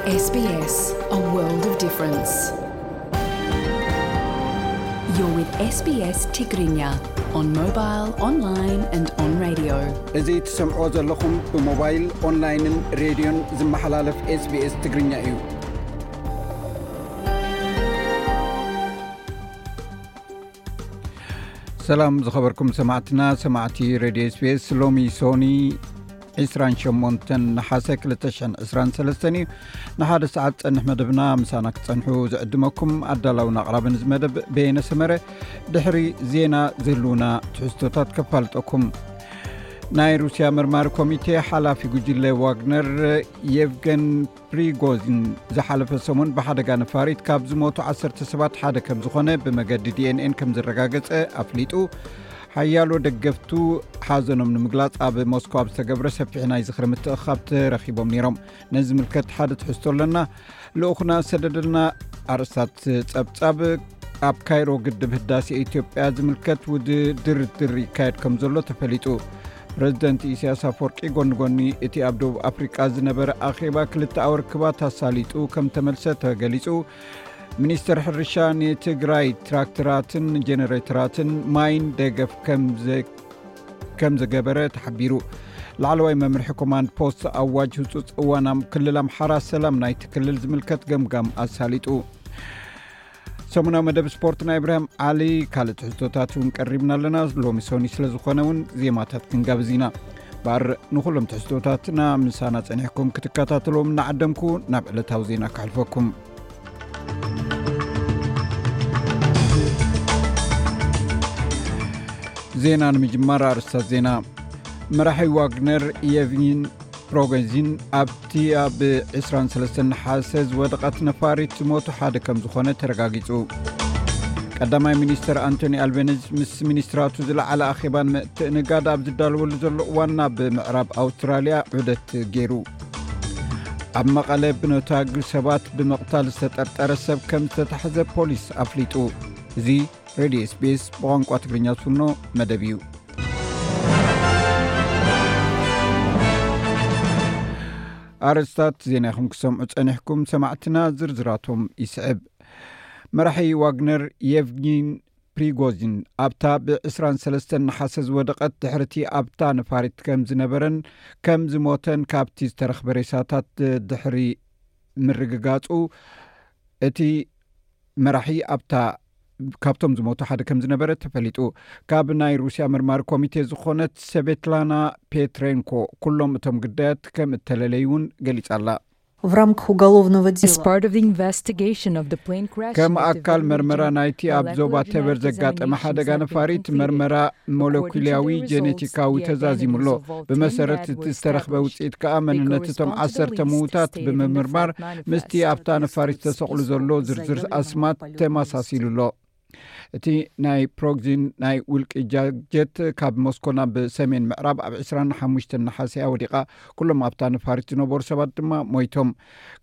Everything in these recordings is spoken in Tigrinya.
S B S, a world of difference. You're with S B S Tigrinya on mobile, online and on radio. እዚ ትሰምዕዎ ዘለኹም ብሞባይል፣ ኦንላይንን ሬድዮን ዝመሓላለፍ SBS ትግርኛ እዩ። ሰላም ዝኸበርኩም ሰማዕትና፣ ሰማዕቲ ሬድዮ SBS። ሎሚ ሶኒ ዕስራን ሸሞንተን ነሓሰ ክልተ ሽሕን ዕስራን ሰለስተን እዩ። ንሓደ ሰዓት ጸንሕ መደብና ምሳና ክትጸንሑ ዝዕድመኩም ኣዳላውን ኣቕራብን እዚ መደብ በየነ ሰመረ። ድሕሪ ዜና ዝህልውና ትሕዝቶታት ከፋልጠኩም። ናይ ሩስያ መርማሪ ኮሚቴ ሓላፊ ጉጅለ ዋግነር የቭገን ፕሪጎዚን ዝሓለፈ ሰሙን ብሓደጋ ነፋሪት ካብ ዝሞቱ ዓሰርተ ሰባት ሓደ ከም ዝኾነ ብመገዲ ዲ ኤን ኤን ከም ዝረጋገጸ ኣፍሊጡ። ሓያሎ ደገፍቱ ሓዘኖም ንምግላጽ ኣብ ሞስኮ ኣብ ዝተገብረ ሰፊሕ ናይ ዝኽሪ ምትእኽኻብ ተረኺቦም ነይሮም። ነዚ ዝምልከት ሓደ ትሕዝቶ ኣለና። ልኡኽና ሰደደልና ኣርእስታት ጸብጻብ። ኣብ ካይሮ ግድብ ህዳሴ ኢትዮጵያ ዝምልከት ውድ ድርድር ይካየድ ከም ዘሎ ተፈሊጡ። ፕረዚደንት ኢሳያስ ኣፈወርቂ ጎኒ ጎኒ እቲ ኣብ ደቡብ ኣፍሪቃ ዝነበረ ኣኼባ ክልተኣዊ ርክባት ኣሳሊጡ ከም ተመልሰ ተገሊጹ። ሚኒስተር ሕርሻ ንትግራይ ትራክተራትን ጀነሬተራትን ማይን ደገፍ ከም ዘ-፣ ከም ዘገበረ ተሓቢሩ። ላዕለዋይ መምርሒ ኮማንድ ፖስት ኣዋጅ ህጹጽ እዋን ኣብ ክልል ኣምሓራ ሰላም ናይቲ ክልል ዝምልከት ገምጋም ኣሳሊጡ። ሰሙናዊ መደብ ስፖርት ናይ እብራሂም ዓሊ፣ ካልእ ትሕዝቶታት እውን ቀሪብና ኣለና። ሎሚ ሶኒ ስለ ዝኾነ እውን ዜማታት ክንጋብዝ ኢና። ባር ንኹሎም ትሕዝቶታትና ምሳና ጸኒሕኩም ክትከታተልዎም እናዓደምኩ ናብ ዕለታዊ ዜና ከሕልፈኩም። ዜና ንምጅማር ኣርእስታት ዜና። መራሒ ዋግነር የቭጊን ፕሮጎዚን ኣብቲ ኣብ ዕስራን ሰለስተን ነሓሰ ዝወደቐት ነፋሪት ዝሞቱ ሓደ ከም ዝኾነ ተረጋጊጹ። ቀዳማይ ሚኒስተር ኣንቶኒ ኣልቤኒዝ ምስ ሚኒስትራቱ ዝለዓለ ኣኼባ ንምትእንጋድ ኣብ ዝዳለወሉ ዘሎ እዋን ናብ ምዕራብ ኣውስትራልያ ዑደት ገይሩ። ኣብ መቐለ ብነታግል ሰባት ብምቕታል ዝተጠርጠረ ሰብ ከም ዝተታሕዘ ፖሊስ ኣፍሊጡ። እዚ ሬድዮ ኤስቢኤስ ብቋንቋ ትግርኛ ዝፍኖ መደብ እዩ። ኣርእስታት ዜና ኢኹም ክሰምዑ ጸኒሕኩም ሰማዕትና፣ ዝርዝራቶም ይስዕብ። መራሒ ዋግነር የቭጊን ፕሪጎዚን ኣብታ ብ ዕስራን ሰለስተን ነሓሰ ዝወደቐት ድሕርቲ ኣብታ ነፋሪት ከም ዝነበረን ከም ዝሞተን ካብቲ ዝተረኽበ ሬሳታት ድሕሪ ምርግጋጹ፣ እቲ መራሒ ኣብታ፣ ካብቶም ዝሞቱ ሓደ ከም ዝነበረ ተፈሊጡ። ካብ ናይ ሩስያ መርማሪ ኮሚቴ ዝኾነት ሰቬትላና ፔትሬንኮ ኩሎም እቶም ግዳያት ከም እተለለዩ እውን ገሊጻ ኣላ። В рамках уголовного As дела. Part of the investigation of the plane crash ከም in the ኣካል Development መርመራ ናይቲ ኣብ ዞባ Molecular ተበር Genetic ዘጋጠመ Examinations ሓደጋ have been ነፋሪት completed. መርመራ According to ሞለኩላዊ the results, ጀኔቲካዊ the ተዛዚሙ ኣሎ። Identities of all ብመሰረት ten እቲ dead were ዝተረኽበ established. ውፅኢት ከኣ They መንነት እቶም correspond to the ዓሰርተ list ምዉታት stated in the ብምምርማር flight manifest. ምስቲ ኣብታ ነፋሪት ተሰቕሉ ዘሎ ዝርዝር ኣስማት ተመሳሲሉ ኣሎ። እቲ ናይ ፕሮግዚን ናይ ውልቂ ጃ-፣ ጀት ካብ ሞስኮ ናብ ሰሜን ምዕራብ ኣብ ዕስራን ሓሙሽተን ነሓሰ እያ ወዲቓ። ኩሎም ኣብታ ነፋሪት ዝነበሩ ሰባት ድማ ሞይቶም።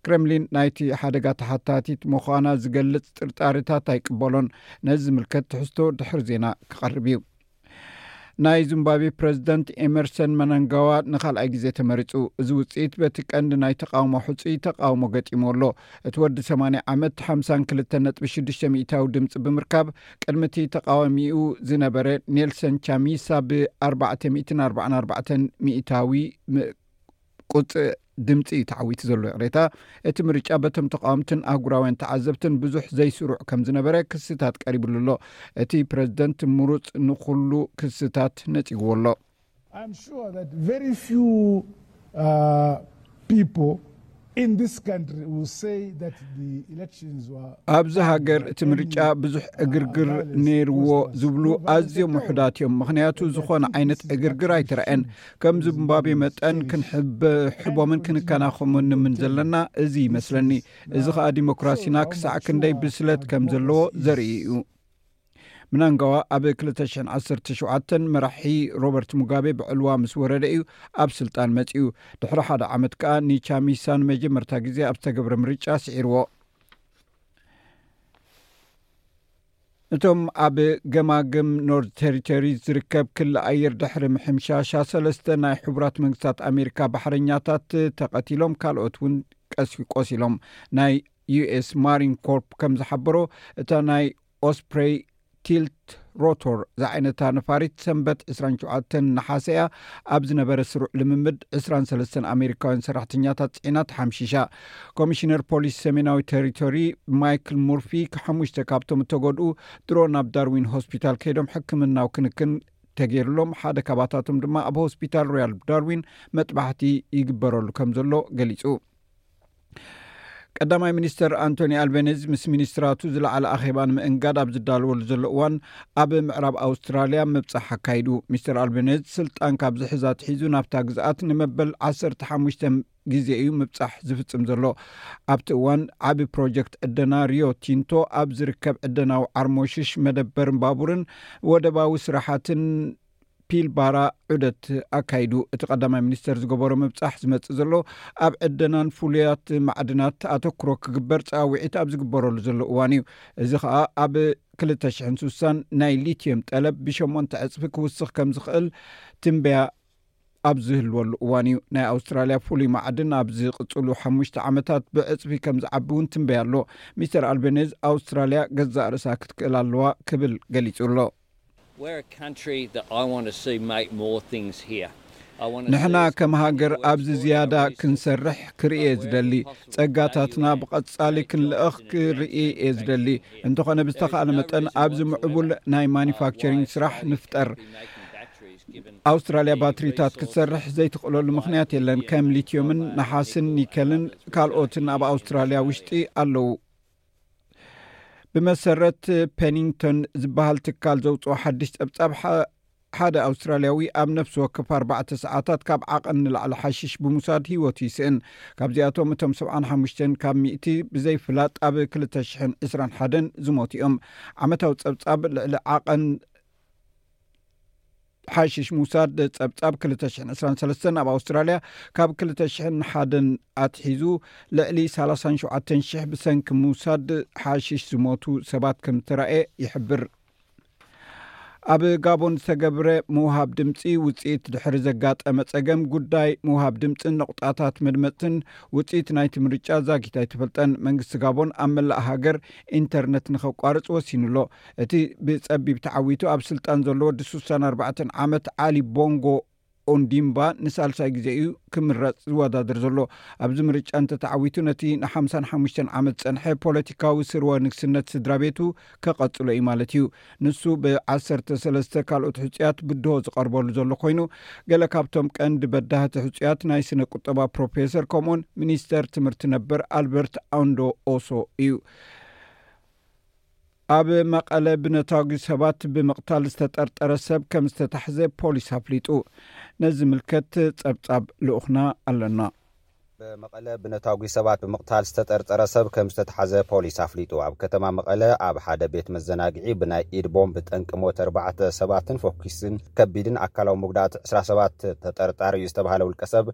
ክረምሊን ናይቲ ሓደጋ ተሓታቲት ምዃና ዝገልጽ ጥርጣሬታት ኣይቅበሎን። ነዚ ዝምልከት ትሕዝቶ ድሕሪ ዜና ክቐርብ እዩ። ናይ ዚምባብዌ ፕረዚደንት ኤመርሰን መናንጋዋ ንኻልኣይ ግዜ ተመሪጹ። እዚ ውጽኢት በቲ ቀንዲ ናይ ተቓውሞ ሕጹይ ተቓውሞ ገጢሙ ኣሎ። እቲ ወዲ ሰማንያ ዓመት ሓምሳን ክልተን ነጥቢ ሽዱሽተ ሚእታዊ ድምጺ ብምርካብ ቅድሚ እቲ ተቓዋሚኡ ዝነበረ ኔልሰን ቻሚሳ ብ ኣርባዕተ ሚእትን ኣርባዓን ኣርባዕተን ሚእታዊ ም-፣ ቁጽ ድምጺ እዩ ተዓዊቱ ዘሎ። ይቕሬታ፣ እቲ ምርጫ በቶም ተቓወምትን ኣህጉራውያን ተዓዘብትን ብዙሕ ዘይስሩዕ ከም ዝነበረ ክስታት ቀሪብሉ ኣሎ። እቲ ፕረዚደንት ምሩጽ ንኹሉ ክስታት ነጺግዎ ኣሎ። I'm sure that very few, uh, people in this country will say that the elections were ኣብዚ ሃገር እቲ ምርጫ ብዙሕ ዕግርግር ነይርዎ ዝብሉ ኣዝዮም ውሑዳት እዮም። ምኽንያቱ ዝኾነ ዓይነት ዕግርግር ኣይተረኣየን። ከም ዚምባብዌ መጠን ክንሕብ-፣ ሕቦምን ክንከናኸኖምን ዘለና እዚ ይመስለኒ። እዚ ኸኣ ዲሞክራሲና ክሳዕ ክንደይ ብስለት ከም ዘለዎ ዘርኢ እዩ። ምናንጋዋ ኣብ ክልተ ሽሕን ዓሰርተ ሸውዓተን መራሒ ሮበርት ሙጋቤ ብዕልዋ ምስ ወረደ እዩ ኣብ ስልጣን መጺኡ። ድሕሪ ሓደ ዓመት ከኣ ንቻሚሳ ንመጀመርታ ግዜ ኣብ ዝተገብረ ምርጫ ስዒርዎ። እቶም ኣብ ገማግም ኖርዝ ቴሪቶሪ ዝርከብ ክሊ ኣየር ድሕሪ ምሕምሻሻ፣ ሰለስተ ናይ ሕቡራት መንግስታት ኣሜሪካ ባሕረኛታት ተቐቲሎም፣ ካልኦት እውን ቀስ ቆሲሎም። ናይ ዩ ኤስ ማሪን ኮርፕ ከም ዝሓበሮ፣ እታ ናይ ኦስፕሬይ ቲልት ሮቶር ዝዓይነታ ነፋሪት ሰንበት ዕስራን ሸውዓተን ነሓሰ እያ ኣብ ዝነበረ ስሩዕ ልምምድ ዕስራን ሰለስተን ኣሜሪካውያን ሰራሕተኛታት ጽዒና ተሓምሺሻ። ኮሚሽነር ፖሊስ ሰሜናዊ ቴሪቶሪ ማይክል ሙርፊ፣ ሓሙሽተ ካብቶም እተጎድኡ ድሮ ናብ ዳርዊን ሆስፒታል ከይዶም ሕክምናዊ ክንክን ተገይርሎም፣ ሓደ ካባታቶም ድማ ኣብ ሆስፒታል ሮያል ዳርዊን መጥባሕቲ ይግበረሉ ከም ዘሎ ገሊጹ። ቀዳማይ ሚኒስተር ኣንቶኒ ኣልቤኔዝ ምስ ሚኒስትራቱ ዝለዓለ ኣኼባ ንምእንጋድ ኣብ ዝዳለወሉ ዘሎ እዋን፣ ኣብ ምዕራብ ኣውስትራልያ ምብጻሕ ኣካይዱ። ሚስተር ኣልቤኔዝ ስልጣን ካብ ዝሕዝ ኣትሒዙ ናብታ ግዝኣት ንመበል ዓሰርተ ሓሙሽተ ግዜ እዩ ምብጻሕ ዝፍጽም ዘሎ። ኣብቲ እዋን፣ ዓቢ ፕሮጀክት ዕደና ሪዮ ቲንቶ ኣብ ዝርከብ ዕደናዊ ዓርሞሽሽ መደበር ባቡርን ወደባዊ ስራሓትን ፒልባራ ዑደት ኣካይዱ። እቲ ቀዳማይ ሚኒስተር ዝገበሮ ምብጻሕ ዝመጽእ ዘሎ፣ ኣብ ዕደናን ፍሉያት ማዕድናት ኣተኩሮ ክግበር ጻውዒት ኣብ ዝግበረሉ ዘሎ እዋን እዩ። እዚ ኸኣ ኣብ ክልተ ሽሕን ስሳን ናይ ሊትየም ጠለብ ብሸሞንተ ዕጽፊ ክውስኽ ከም ዝኽእል ትንበያ ኣብ ዝህልወሉ እዋን እዩ። ናይ ኣውስትራልያ ፍሉይ ማዕድን ኣብ ዝቕጽሉ ሓሙሽተ ዓመታት ብዕጽፊ ከም ዝዓቢ እውን ትንበያ ኣሎ። ሚስተር ኣልቤኔዝ፣ ኣውስትራልያ ገዛእ ርእሳ ክትክእል ኣለዋ ክብል ገሊጹ ኣሎ። We're a country that I want to see make more things here. I want to ንሕና see us ከም ሃገር work ኣብዚ towards ዝያዳ our vision. ክንሰርሕ ክርኢ እየ ዝደሊ። ጸጋታትና ብቐጻሊ ክንልእኽ ክርኢ እየ ዝደሊ። እንተኾነ ብዝተኻእለ መጠን ኣብዚ ምዕቡል ናይ ማኒፋክቸሪንግ ስራሕ ንፍጠር። ኣውስትራልያ ባትሪታት ክትሰርሕ ዘይትኽእለሉ ምኽንያት የለን። ከም ሊትዮምን ነሓስን ኒከልን ካልኦትን ኣብ ኣውስትራልያ ውሽጢ ኣለዉ። ብመሰረት ፔኒንግቶን ዝበሃል ትካል ዘውፅኦ ሓድሽ ጸብጻብ፣ ሓደ ኣውስትራልያዊ ኣብ ነፍሲ ወከፍ ኣርባዕተ ሰዓታት ካብ ዓቐን ንላዕሊ ሓሽሽ ብምውሳድ ህይወቱ ይስእን። ካብዚኣቶም እቶም ሰብዓን ሓሙሽተን ካብ ሚእቲ ብዘይፍላጥ ኣብ ክልተ ሽሕን ዕስራን ሓደን ዝሞቱ እዮም። ዓመታዊ ጸብጻብ ልዕሊ ዓቐን ሓሽሽ ምውሳድ ጸብጻብ ክልተ ሽሕን ዕስራን ሰለስተን ኣብ ኣውስትራልያ ካብ ክልተ ሽሕን ሓደን ኣትሒዙ ልዕሊ ሰላሳን ሸውዓተን ሽሕ ብሰንኪ ምውሳድ ሓሽሽ ዝሞቱ ሰባት ከም ዝተራእየ ይሕብር። ኣብ ጋቦን ዝተገብረ ምውሃብ ድምፂ ውፅኢት ድሕሪ ዘጋጠመ ጸገም፣ ጉዳይ ምውሃብ ድምፅን ነቑጣታት መድመፅትን ውፅኢት ናይቲ ምርጫ ዛጊት ኣይተፈልጠን። መንግስቲ ጋቦን ኣብ መላእ ሃገር ኢንተርነት ንኸቋርጽ ወሲኑ ኣሎ። እቲ ብጸቢብ ተዓዊቱ ኣብ ስልጣን ዘሎ ወዲ ስሳን ኣርባዕተን ዓመት ዓሊ ቦንጎ ኦንዲምባ ንሳልሳይ ግዜ እዩ ክምረጽ ዝወዳደር ዘሎ። ኣብዚ ምርጫ እንተተዓዊቱ፣ ነቲ ንሓምሳን ሓሙሽተን ዓመት ዝጸንሐ ፖለቲካዊ ስርወ ንግስነት ስድራ ቤቱ ከቐጽሎ እዩ ማለት እዩ። ንሱ ብዓሰርተ ሰለስተ ካልኦት ሕጹያት ብድሆ ዝቐርበሉ ዘሎ ኮይኑ፣ ገለ ካብቶም ቀንዲ በዳህቲ ሕጹያት ናይ ስነ ቁጠባ ፕሮፌሰር ከምኡውን ሚኒስተር ትምህርቲ ነበር ኣልበርት ኣንዶ ኦሶ እዩ። ኣብ መቐለ ብነታጒ ሰባት ብምቕታል ዝተጠርጠረ ሰብ ከም ዝተታሕዘ ፖሊስ ኣፍሊጡ። ነዚ ዝምልከት ጸብጻብ ልኡኽና ኣለና። ብመቐለ ብነታጒ ሰባት ብምቕታል ዝተጠርጠረ ሰብ ከም ዝተታሕዘ ፖሊስ ኣፍሊጡ። ኣብ ከተማ መቐለ ኣብ ሓደ ቤት መዘናግዒ ብናይ ኢድ ቦምብ ጠንቂ ሞት ኣርባዕተ ሰባትን ፎኪስን ከቢድን ኣካላዊ መጉዳእቲ ዕስራ ሰባት ተጠርጣሪ እዩ ዝተባህለ ውልቀ ሰብ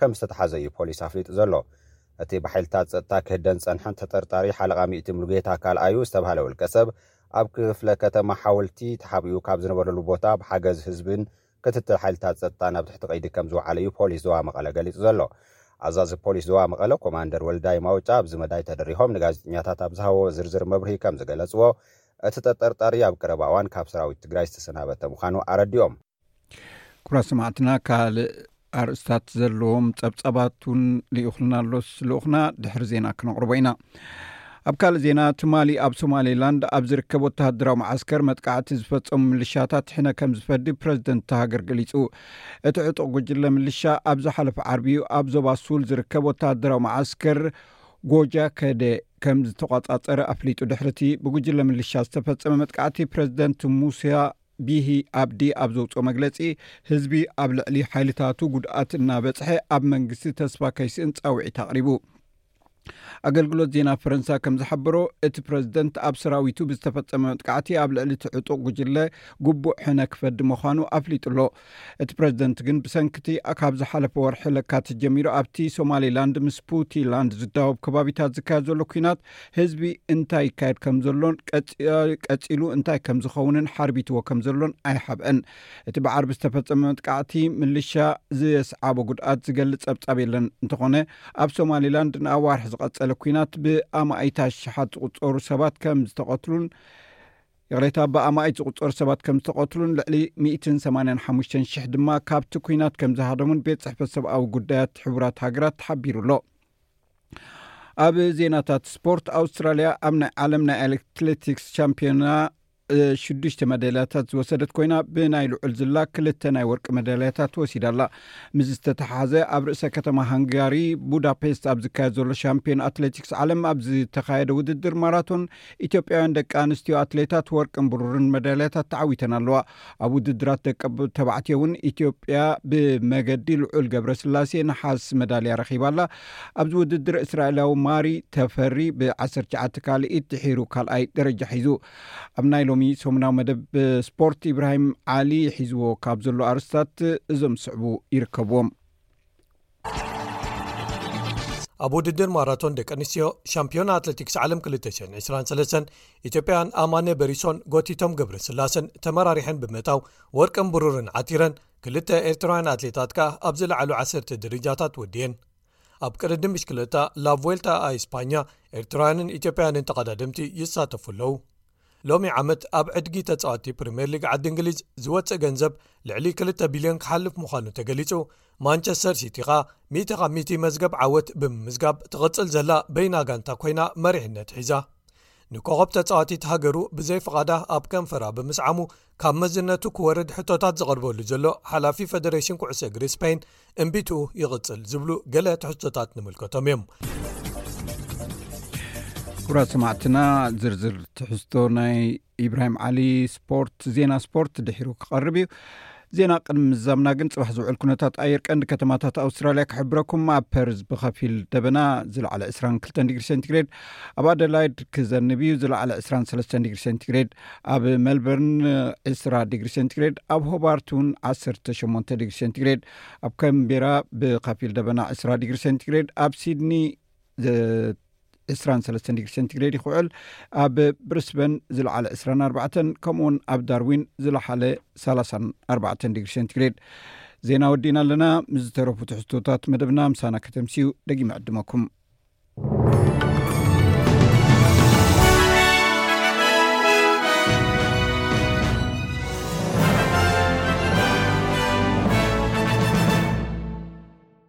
ከም ዝተታሕዘ እዩ ፖሊስ ኣፍሊጡ ዘሎ። እቲ ብሓይልታት ጸጥታ ክህደን ጸንሐን ተጠርጣሪ ሓለቓ ሚእቲ ሙሉጌታ ካልኣዩ ዝተባህለ ውልቀ ሰብ ኣብ ክፍለ ከተማ ሓወልቲ ተሓቢኡ ካብ ዝነበረሉ ቦታ ብሓገዝ ህዝብን ክትትል ሓይልታት ጸጥታ ናብ ትሕቲ ቀይዲ ከም ዝወዓለ እዩ ፖሊስ ዞባ መቐለ ገሊጹ ዘሎ። ኣዛዚ ፖሊስ ዞባ መቐለ ኮማንደር ወልዳይ ማውጫ ኣብዚ መዳይ ተደሪኾም ንጋዜጠኛታት ኣብ ዝሃቦ ዝርዝር መብርሂ ከም ዝገለጽዎ፣ እቲ ተጠርጣሪ ኣብ ቀረባ እዋን ካብ ሰራዊት ትግራይ ዝተሰናበተ ምዃኑ ኣረዲኦም። ክቡራት ሰማዕትና፣ ካልእ ኣርእስታት ዘለዎም ጸብጻባት እውን ልኢኹልና ኣሎስ ልኡኽና ድሕሪ ዜና ክነቕርቦ ኢና። ኣብ ካልእ ዜና፣ ትማሊ ኣብ ሶማሌላንድ ኣብ ዝርከብ ወተሃደራዊ መዓስከር መጥቃዕቲ ዝፈጸሙ ምልሻታት ሕነ ከም ዝፈዲ ፕረዚደንት እታ ሃገር ገሊጹ። እቲ ዕጡቕ ጉጅለ ምልሻ ኣብ ዝሓለፈ ዓርቢ እዩ ኣብ ዞባ ሱል ዝርከብ ወተሃደራዊ መዓስከር ጎጃ ከደ ከም ዝተቋጻጸረ ኣፍሊጡ። ድሕርቲ ብጉጅለ ምልሻ ዝተፈጸመ መጥቃዕቲ፣ ፕረዚደንት ሙሳ ቢሂ ኣብዲ ኣብ ዘውፅኦ መግለጺ፣ ህዝቢ ኣብ ልዕሊ ሓይልታቱ ጉድኣት እናበጽሐ ኣብ መንግስቲ ተስፋ ከይስእን ጻውዒት ኣቕሪቡ። ኣገልግሎት ዜና ፈረንሳ ከም ዝሓበሮ፣ እቲ ፕረዚደንት ኣብ ሰራዊቱ ብዝተፈጸመ መጥቃዕቲ ኣብ ልዕሊ እቲ ዕጡቕ ጉጅለ ግቡእ ሕነ ክፈዲ ምዃኑ ኣፍሊጡ ኣሎ። እቲ ፕረዚደንት ግን ብሰንክቲ ካብ ዝሓለፈ ወርሒ ለካቲት ጀሚሩ ኣብቲ ሶማሊላንድ ምስ ፑንትላንድ ዝዳወብ ከባቢታት ዝካየድ ዘሎ ኲናት ህዝቢ እንታይ ይካየድ ከም ዘሎን ቀጺ-፣ ቀጺሉ እንታይ ከም ዝኸውንን ሓርቢትዎ ከም ዘሎን ኣይሓብአን። እቲ ብዓርቢ ዝተፈጸመ መጥቃዕቲ ምልሻ ዘስዓቦ ጉድኣት ዝገልጽ ጸብጻብ የለን። እንተኾነ ኣብ ሶማሊላንድ ንኣዋርሕ ዝቐጸለ ኲናት ብኣማኢት ኣሽሓት ዝቑጸሩ ሰባት ከም ዝተቐትሉን፣ ይቕሬታ፣ ብኣማኢት ዝቑጸሩ ሰባት ከም ዝተቐትሉን ልዕሊ ሚእትን ሰማንያን ሓሙሽተን ሽሕ ድማ ካብቲ ኲናት ከም ዝሃደሙን ቤት ጽሕፈት ሰብኣዊ ጉዳያት ሕቡራት ሃገራት ተሓቢሩ ኣሎ። ኣብ ዜናታት ስፖርት፣ ኣውስትራልያ ኣብ ናይ ዓለም ናይ ኣትሌቲክስ ቻምፒዮና ሽዱሽተ መዳልያታት ዝወሰደት ኮይና፣ ብናይ ልዑል ዝላ ክልተ ናይ ወርቂ መዳልያታት ወሲዳ ኣላ። ምስ ዝተተሓሓዘ፣ ኣብ ርእሰ ከተማ ሃንጋሪ ቡዳፔስት ኣብ ዝካየድ ዘሎ ሻምፒዮን ኣትሌቲክስ ዓለም ኣብ ዝተኻየደ ውድድር ማራቶን፣ ኢትዮጵያውያን ደቂ ኣንስትዮ ኣትሌታት ወርቅን ብሩርን መዳልያታት ተዓዊተን ኣለዋ። ኣብ ውድድራት ደቂ ተባዕትዮ እውን ኢትዮጵያ ብመገዲ ልዑል ገብረስላሴ ነሓስ መዳልያ ረኺባ ኣላ። ኣብዚ ውድድር እስራኤላዊ ማሪ ተፈሪ ብ19 ካልኢት ድሒሩ ካልኣይ ደረጃ ሒዙ። ኣብ ናይ ሎሚ ሰሙናዊ መደብ ስፖርት፣ ኢብራሂም ዓሊ ሒዝዎ ካብ ዘሎ ኣርስታት እዞም ዝስዕቡ ይርከብዎም። ኣብ ውድድር ማራቶን ደቂ ኣንስትዮ ሻምፒዮና ኣትሌቲክስ ዓለም ክልተ ሽሕን ዕስራን ሰለስተን ኢትዮጵያን ኣማነ በሪሶን ጎቲቶም ገብረስላሰን ተመራሪሐን ብምእታው ወርቅን ብሩርን ዓቲረን፣ ክልተ ኤርትራውያን ኣትሌታት ከኣ ኣብ ዝለዓሉ ዓሰርተ ደረጃታት ወድየን። ኣብ ቅድድም ብሽክለታ ላቮልታ ኣይ ስፓኛ ኤርትራውያንን ኢትዮጵያውያንን ተቐዳደምቲ ይሳተፉ ኣለዉ። ሎሚ ዓመት ኣብ ዕድጊ ተጻወትቲ ፕሪምየር ሊግ ዓዲ እንግሊዝ ዝወጽእ ገንዘብ ልዕሊ ክልተ ቢልዮን ክሓልፍ ምዃኑ ተገሊጹ። ማንቸስተር ሲቲ ኸኣ ሚእቲ ካብ ሚእቲ መዝገብ ዓወት ብምምዝጋብ ትቕጽል ዘላ በይና ጋንታ ኮይና መሪሕነት ሒዛ። ንኮኸብ ተጻዋቲት ሃገሩ ብዘይ ፍቓዳ ኣብ ከንፈራ ብምስዓሙ ካብ መዝነቱ ክወርድ ሕቶታት ዝቐርበሉ ዘሎ ሓላፊ ፈደሬሽን ኩዕሶ እግሪ ስፔን እምቢትኡ ይቕጽል ዝብሉ ገለ ትሕዝቶታት ንምልከቶም እዮም። ክቡራት ሰማዕትና፣ ዝርዝር ትሕዝቶ ናይ ኢብራሂም ዓሊ ስፖርት፣ ዜና ስፖርት ድሒሩ ክቐርብ እዩ። ዜና ቅድሚ ምዛምና ግን፣ ጽባሕ ዝውዕል ኩነታት ኣየር ቀንዲ ከተማታት ኣውስትራልያ ክሕብረኩም። ኣብ ፐርዝ ብኸፊል ደበና፣ ዝለዓለ ዕስራን ክልተን ዲግሪ ሴንቲግሬድ። ኣብ ኣደላይድ ክዘንብ እዩ፣ ዝለዓለ ዕስራን ሰለስተን ዲግሪ ሴንቲግሬድ። ኣብ ሜልበርን ዕስራ ዲግሪ ሴንቲግሬድ። ኣብ ሆባርት እውን ዓሰርተ ሸሞንተ ዲግሪ ሴንቲግሬድ። ኣብ ካምቤራ ብኸፊል ደበና፣ ዕስራ ዲግሪ ሴንቲግሬድ። ኣብ ሲድኒ ዘ-፣ ዕስራን ሰለስተን ዲግሪ ሴንቲግሬድ ይኽውዕል። ኣብ ብሪስበን ዝለዓለ ዕስራን ኣርባዕተን፣ ከምኡውን ኣብ ዳርዊን ዝለዓለ ሰላሳን ኣርባዕተን ዲግሪ ሴንቲግሬድ። ዜና ወዲእና ኣለና። ምስ ዝተረፉ ትሕዝቶታት መደብና ምሳና ከተምስዩ ደጊመ ዕድመኩም።